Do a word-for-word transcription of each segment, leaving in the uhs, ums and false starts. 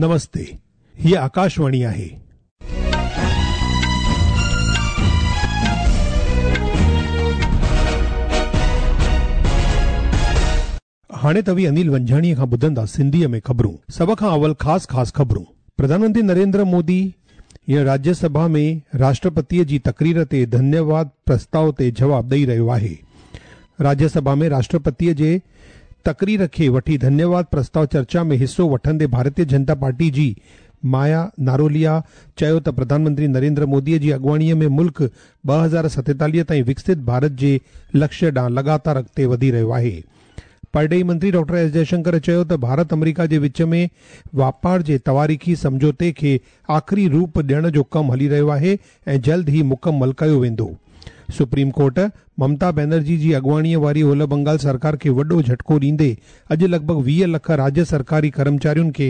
नमस्ते, हीअ आकाशवाणी आहे. हाणे तव्हीं अनिल वंझाणीअ खां ॿुधंदा सिंधीअ में ख़बरूं. सभ खां अवल ख़ासि ख़ासि ख़बरूं. प्रधानमंत्री नरेंद्र मोदी हींअर राज्यसभा में राष्ट्रपतीअ जी तकरीर ते धन्यवाद प्रस्ताव ते जवाब ॾेई रहियो आहे. राज्यसभा में राष्ट्रपतीअ जे तकरीर खे वठी धन्यवाद प्रस्ताव चर्चा में हिसो वठंदे भारतीय जनता पार्टी जी माया नारोलिया चयो त प्रधानमंत्री नरेंद्र मोदीअ जी अॻुवाणीअ में मुल्क ॿ हज़ार सतेतालीह ताईं विकसित भारत जे लक्ष्य ॾांहुं लगातार अॻिते वधी रहियो आहे. परॾेही मंत्री डॉक्टर एस जयशंकर चयो त भारत अमरीका जे विच में वापार जे तवारीखी सम्झौते खे आख़िरी रूप ॾियण जो कमु हली रहियो आहे ऐं जल्द ई मुकमल कयो वेंदो. सुप्रीम कोर्ट ममता बनर्जी जी अॻुवाणीअ वारी ओलह बंगाल सरकार खे वॾो झटको ॾींदे अॼु लॻभॻि वीह लख राज्य सरकारी कर्मचारियुनि खे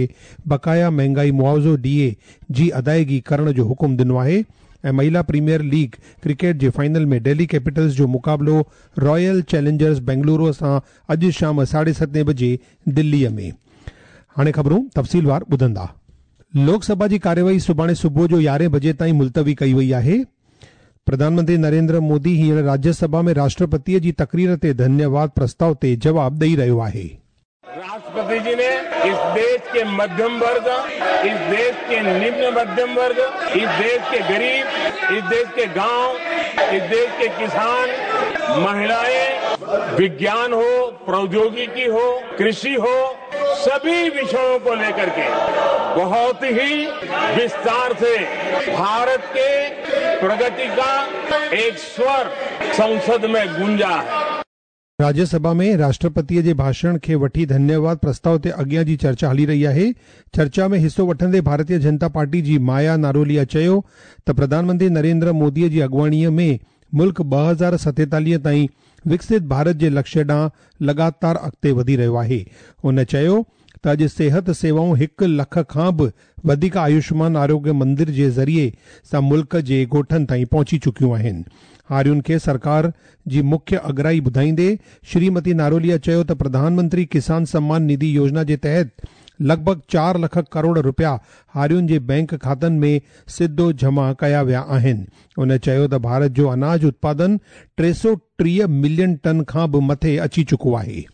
बकाया महंगाई मुआवज़ो डी ए जी अदायगी करण जो हुकुम ॾिनो आहे. ऐं महिला प्रीमियर लीग क्रिकेट जे फाइनल में दिल्ली कैपिटल्स जो मुक़ाबिलो रॉयल चैलेंजर्स बेंगलुरु सां अॼु शाम साढे सतें बजे दिल्लीअ में. हाणे ख़बरूं तफ़सीलवार ॿुधंदा. लोकसभा जी कार्यवाही सुभाणे सुबुह जो यारहें बजे ताईं मुलतवी कई वई आहे. प्रधानमंत्री नरेंद्र मोदी हींअर राज्यसभा में राष्ट्रपतीअ जी तकरीर ते धन्यवाद प्रस्ताव ते जवाब ॾेई रहियो आहे. राष्ट्रपति जी ने इस देश के मध्यम वर्ग, इस देश के निम्न मध्यम वर्ग, इस देश के गरीब, इस देश के गांव, इस देश के किसान, महिलाएं, विज्ञान हो, प्रौद्योगिकी हो, कृषि हो, सभी विषयों को लेकर के बहुत ही विस्तार से भारत के प्रगति का एक स्वर संसद में गूंजा है. राज्यसभा में राष्ट्रपतीअ जे भाषण खे वठी धन्यवाद प्रस्ताव ते अॻियां जी चर्चा हली रही आहे. चर्चा में हिसो वठंदे भारतीय जनता पार्टी जी माया नारोलिया चयो त प्रधानमंत्री नरेंद्र मोदीअ जी अॻुवाणीअ में मुल्क ॿ हज़ार सतेतालीह ताईं विकसित भारत जे लक्ष्य ॾांहुं लगातार अॻिते वधी रहियो आहे. हुन चयो त अॼु सिहत सेवाऊं हिकु लख खां बि वधीक आयुष्मान आरोग्य मंदिर जे ज़रिए सां मुल्क जे ॻोठनि ताईं पहुची चुकियूं आहिनि. हारियुनि खे सरकार जी मुख्य अगराई ॿुधाईंदे श्रीमती नारोलिया चयो त प्रधानमंत्री किसान सम्मान निधि योजना जे तहत लॻभॻि चार लख करोड़ रुपया हारियुनि जे बैंक खातनि में सिधो जमा कया विया आहिनि. हुन चयो त भारत जो अनाज उत्पादन टे सौ टीह मिलियन टन खां बि मथे अची चुको आहे.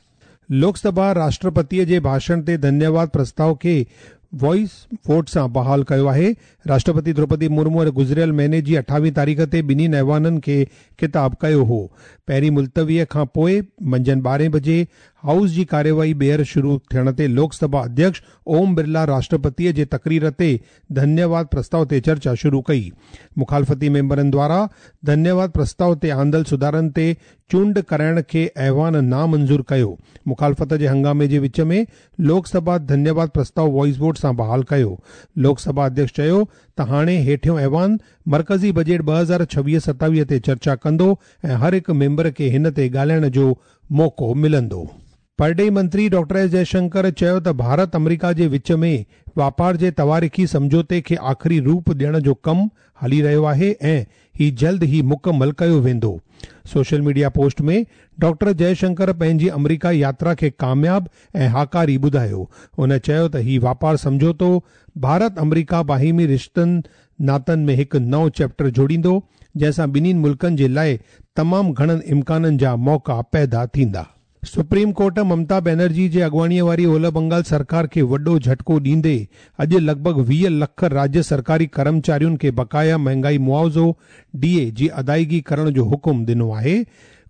लोकसभा राष्ट्रपतीअ जे भाषण ते धन्यवाद प्रस्ताव खे वॉइस वोट सां बहाल कयो आहे. राष्ट्रपति द्रौपदी मुर्मू गुज़िरियल महीने जी अठावीह तारीख़ ते ॿिन्ही ऐवाननि खे ख़िताब कयो हो. पहिरीं मुलतवीअ खां पोइ मंझंदि ॿारहें बजे हाउस जी कार्यवाही ॿीहर शुरू थियण ते लोकसभा अध्यक्ष ओम बिरला राष्ट्रपतीअ जे तकरीर ते धन्यवाद प्रस्ताव ते चर्चा शुरू कई. मुखालफ़ती मेंबरनि द्वारा धन्यवाद प्रस्ताव ते आंदल सुधारनि ते चूंड कराइण खे ऐवान नामंज़ूर कयो. मुखालफ़त जे हंगामे जे विच में लोकसभा धन्यवाद प्रस्ताव वॉइस वोट सां बहाल कयो. लोकसभा अध्यक्ष चयो त हाणे हेठियों ऐवान मर्कज़ी बजट ॿ हज़ार छवीह सतावीह ते चर्चा कंदो ऐं हर हिकु मेंबर खे हिन ते ॻाल्हाइण जो मौक़ो मिलंदो. परॾेही मंत्री डॉक्टर एस जयशंकर चयो त भारत अमरीका जे विच में वापार जे तवारीखी सम्झौते खे आख़िरी रूप ॾियण जो कमु हली रहियो आहे ऐं ही जल्द ई मुकमल कयो वेंदो. सोशल मीडिया पोस्ट में डॉक्टर जयशंकर पंहिंजी अमरीका यात्रा खे कामयाब ऐं हाकारी ॿुधायो. हुन चयो त ही वापार सम्झौतो भारत अमरीका बाहिमी रिश्तनि नातनि में हिकु नओं चैप्टर जोड़ींदो, जंहिंसां ॿिन्हिनि मुल्कनि जे लाइ तमामु घणनि इम्काननि जा मौक़ा पैदा थींदा. सुप्रीम कोर्ट ममता बनर्जी जे अॻुवाणीअ वारी ओलह बंगाल सरकार खे वॾो झटको ॾींदे अॼु लॻभॻि वीह लख राज्य सरकारी कर्मचारियुनि खे बकाया महंगाई मुआवज़ो डी ए जी अदायगी करण जो हुकुम ॾिनो आहे.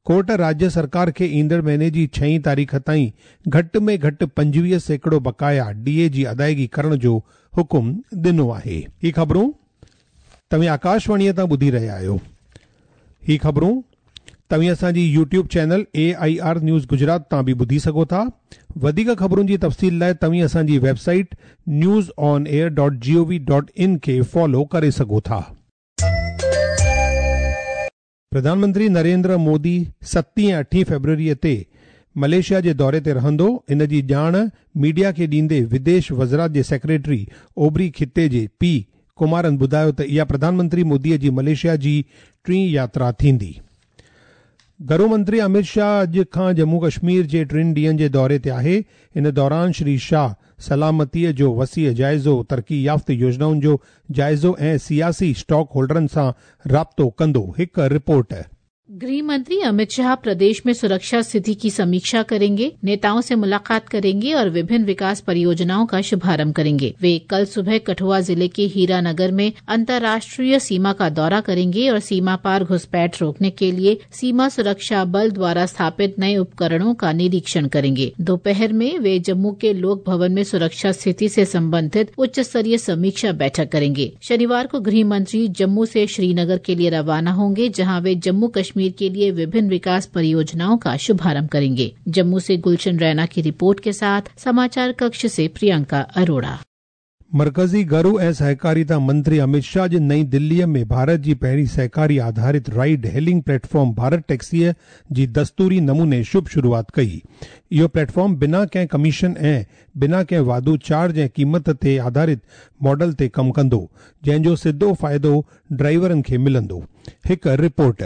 कोर्ट राज्य सरकार खे ईंदड़ महीने जी छहीं तारीख़ ताईं घटि में घटि पंजवीह सैकड़ो बकाया डी ए जी अदायगी करण जो हुकुम ॾिनो आहे. ही ख़बरूं तव्हीं आकाशवाणीअ तां ॿुधी रहिया आहियो. ही ख़बरूं तव्हीं असांजी YouTube channel A I R news Gujarat तां बि ॿुधी सघो था. वधीक ख़बरुनि जी तफ़सील लाइ तव्हीं असांजी website news on air dot G O V dot in खे फॉलो करे सघो था. प्रधानमंत्री नरेंद्र मोदी सतीं ऐं अठीं फ़ेब्रुअरीअ ते मलेशिया जे दौरे ते रहंदो. इन जी ॼाण मीडिया खे ॾींदे विदेश वज़ारत जे सेक्रेटरी ओबरी ख़िते जे पी कुमारन ॿुधायो त इहा प्रधानमंत्री मोदीअ जी मलेशिया जी टीं यात्रा थींदी. گهرو मंत्री अमित शाह अॼु खां जम्मू कश्मीर जे टिनि ॾींहंनि जे दौरे ते आहे। इन दौरान श्री शाह सलामतीअ जो वसीअ जाइज़ो, तरक़ी याफ़्त योजनाउनि जो जाइज़ो ऐं सियासी स्टॉक होल्डरनि सां राब्तो कंदो। हिकु रिपोर्ट। गृह मंत्री अमित शाह प्रदेश में सुरक्षा स्थिति की समीक्षा करेंगे, नेताओं से मुलाकात करेंगे और विभिन्न विकास परियोजनाओं का शुभारंभ करेंगे। वे कल सुबह कठुआ जिले के हीरानगर में अंतर्राष्ट्रीय सीमा का दौरा करेंगे और सीमा पार घुसपैठ रोकने के लिए सीमा सुरक्षा बल द्वारा स्थापित नए उपकरणों का निरीक्षण करेंगे। दोपहर में वे जम्मू के लोक भवन में सुरक्षा स्थिति से संबंधित उच्च स्तरीय समीक्षा बैठक करेंगे। शनिवार को गृह मंत्री जम्मू से श्रीनगर के लिए रवाना होंगे, जहाँ वे जम्मू कश्मीर के लिए विभिन्न विकास परियोजनाओं का शुभारंभ करेंगे। जम्मू से गुलशन रैना की रिपोर्ट के साथ समाचार कक्ष से प्रियंका अरोड़ा। मरकज़ी घरू ऐं सहकारिता मंत्री अमित शाह अॼु नई दिल्लीअ में भारत जी पहिरीं सहकारी आधारित राइड हेलिंग प्लेटफॉर्म भारत टैक्सीअ जी दस्तूरी नमूने शुभ शुरुआत कई। इहो प्लेटफॉर्म बिना कंहिं कमीशन ऐं बिना कंहिं वाधू चार्ज ऐं क़ीमत ते आधारित मॉडल ते कमु कंदो, जंहिंजो सिधो फ़ाइदो ड्राइवरनि खे मिलंदो। हिकु रिपोर्ट।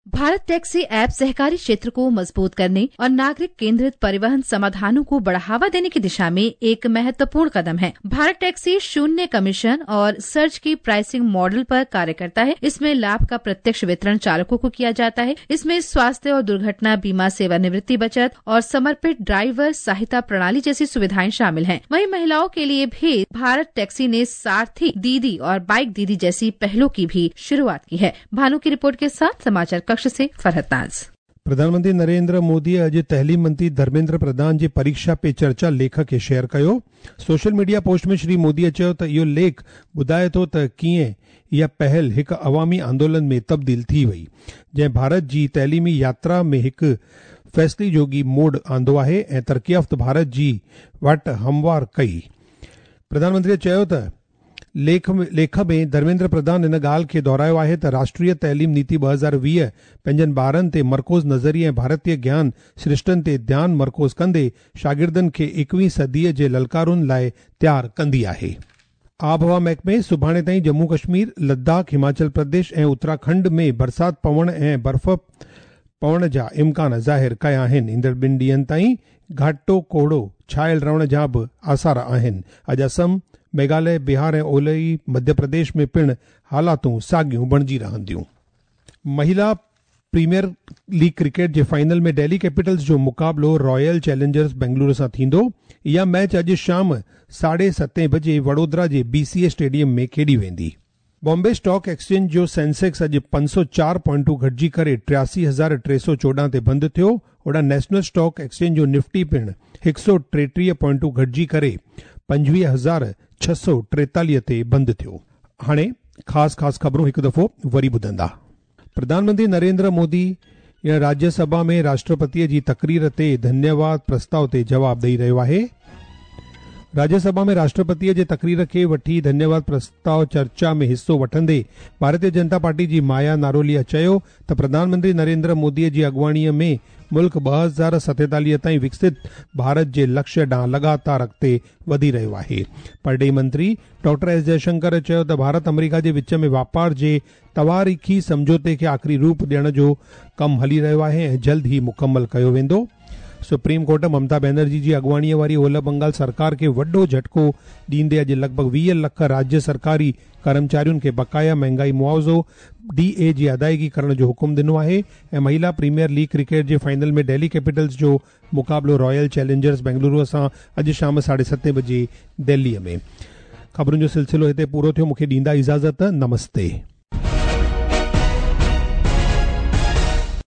भारत टैक्सी ऐप सहकारी क्षेत्र को मजबूत करने और नागरिक केंद्रित परिवहन समाधानों को बढ़ावा देने की दिशा में एक महत्वपूर्ण कदम है। भारत टैक्सी शून्य कमीशन और सर्ज की प्राइसिंग मॉडल पर कार्य करता है। इसमें लाभ का प्रत्यक्ष वितरण चालकों को किया जाता है। इसमें स्वास्थ्य और दुर्घटना बीमा, सेवानिवृत्ति बचत और समर्पित ड्राइवर सहायता प्रणाली जैसी सुविधाएं शामिल हैं। वहीं महिलाओं के लिए भी भारत टैक्सी ने सारथी दीदी और बाइक दीदी जैसी पहलों की भी शुरुआत की है। भानु की रिपोर्ट के साथ समाचार कक्ष से फरहत नाज। प्रधानमंत्री नरेंद्र मोदी अॼु तइलीम मंत्री धर्मेंद्र प्रधान जी परीक्षा पे चर्चा लेख खे शेयर कयो। सोशल मीडिया पोस्ट में श्री मोदीअ चयो त इहो लेख ॿुधाए थो त कीअं इहा पहल हिकु अवामी आंदोलन में तब्दील थी वई, जंहिं भारत जी तइलीमी यात्रा में हिकु फ़ैसिले जोगी मोड़ आंदो आहे ऐं तरक़ी याफ़्त भारत जी वाट हमवार कई। प्रधानमंत्रीअ चयो त लेख में लेख में धर्मेंद्र प्रधान इन ॻाल्हि खे दोहरायो आहे त राष्ट्रीय तइलीम नीति ॿ हज़ार वीह पंहिंजनि ॿारनि ते मरकूज़ नज़रिए ऐं भारतीय ज्ञान सृष्टनि ते ध्यानु मरकूज़ कंदे शागिर्दनि खे एकवीं सदीअ जे ललकारुनि लाइ तयारु कंदी आहे। आबहवा महकमे सुभाणे ताईं जम्मू कश्मीर, लद्दाख, हिमाचल प्रदेश ऐं उत्तराखंड में बरसाति पवण ऐं बर्फ़ पवण जा इम्कान ज़ाहिर कया आहिनि। ईंदड़ ॿिनि ॾींहंनि ताईं घाटो कोहड़ो छायल रहण जा बि आसार आहिनि। अॼु असम, मेघालय, बिहार ऐं ओलही मध्य प्रदेश में पिणु हालातूं साॻियूं बणिजी रहंदियूं। महिला प्रीमियर लीग क्रिकेट जे फाइनल में दिल्ली कैपिटल्स जो मुक़ाबिलो रॉयल चैलेंजर्स बेंगलुरु सां थींदो। इहा मैच अॼु शाम साढे सतें बजे वडोदरा जे बीसीए स्टेडियम में खेॾी वेंदी। बॉम्बे स्टॉक एक्सचेंज जो सेंसेक्स अॼु पंज सौ चार पॉइंटूं घटिजी करे टियासी हज़ार टे सौ चोॾहं ते बंदि थियो। होॾां नेशनल स्टॉक एक्सचेंज जो निफ्टी पिणु हिकु सौ टेटीह पॉइंटूं घटिजी करे पंजवीह हज़ार छह सौ टेतालीह ते बंदि थियो। हाणे ख़ासि ख़ासि ख़बरूं हिकु दफ़ो वरी ॿुधंदा। प्रधानमंत्री नरेंद्र मोदी राज्यसभा में राष्ट्रपतीअ जी तकरीर ते धन्यवाद प्रस्ताव ते जवाब ॾेई रहियो आहे। राज्यसभा में राष्ट्रपतीअ जे तकरीर खे वठी धन्यवाद प्रस्ताव चर्चा में हिसो वठंदे भारतीय जनता पार्टी जी माया नारोलिया चयो त प्रधानमंत्री नरेंद्र मोदीअ जी अॻुवाणीअ में मुल्क ॿ हज़ार सतेतालीह ताईं विकसित भारत जे लक्ष्य ॾांहुं लगातार अॻिते वधी रहियो आहे। परॾेही मंत्री डॉक्टर एस जयशंकर चयो त भारत अमेरिका जे विच में वापार जे तवारीख़ी सम्झौते खे आख़िरी रूप ॾियण जो कमु हली रहियो आहे ऐं जल्द ई मुकमल कयो वेंदो। सुप्रीम कोर्ट ममता बनर्जी जी अॻुवाणीअ वारी ओलह बंगाल सरकार खे वॾो झटको ॾींदे अॼु लॻभॻ वीह लख राज्य सरकारी कर्मचारियुनि खे बकाया महंगाई मुआवज़ो डी ए जी अदायगी करण जो हुकुम ॾिनो आहे। ऐं महिला प्रीमियर लीग क्रिकेट जे फाइनल में दिल्ली कैपिटल्स जो मुक़ाबिलो रॉयल चैलेंजर्स बेंगलुरु सां अॼु शाम साढे सतें बजे दिल्लीअ में। ख़बरुनि जो सिलसिलो हिते पूरो थियो। मूंखे ॾींदा इजाज़त। नमस्ते।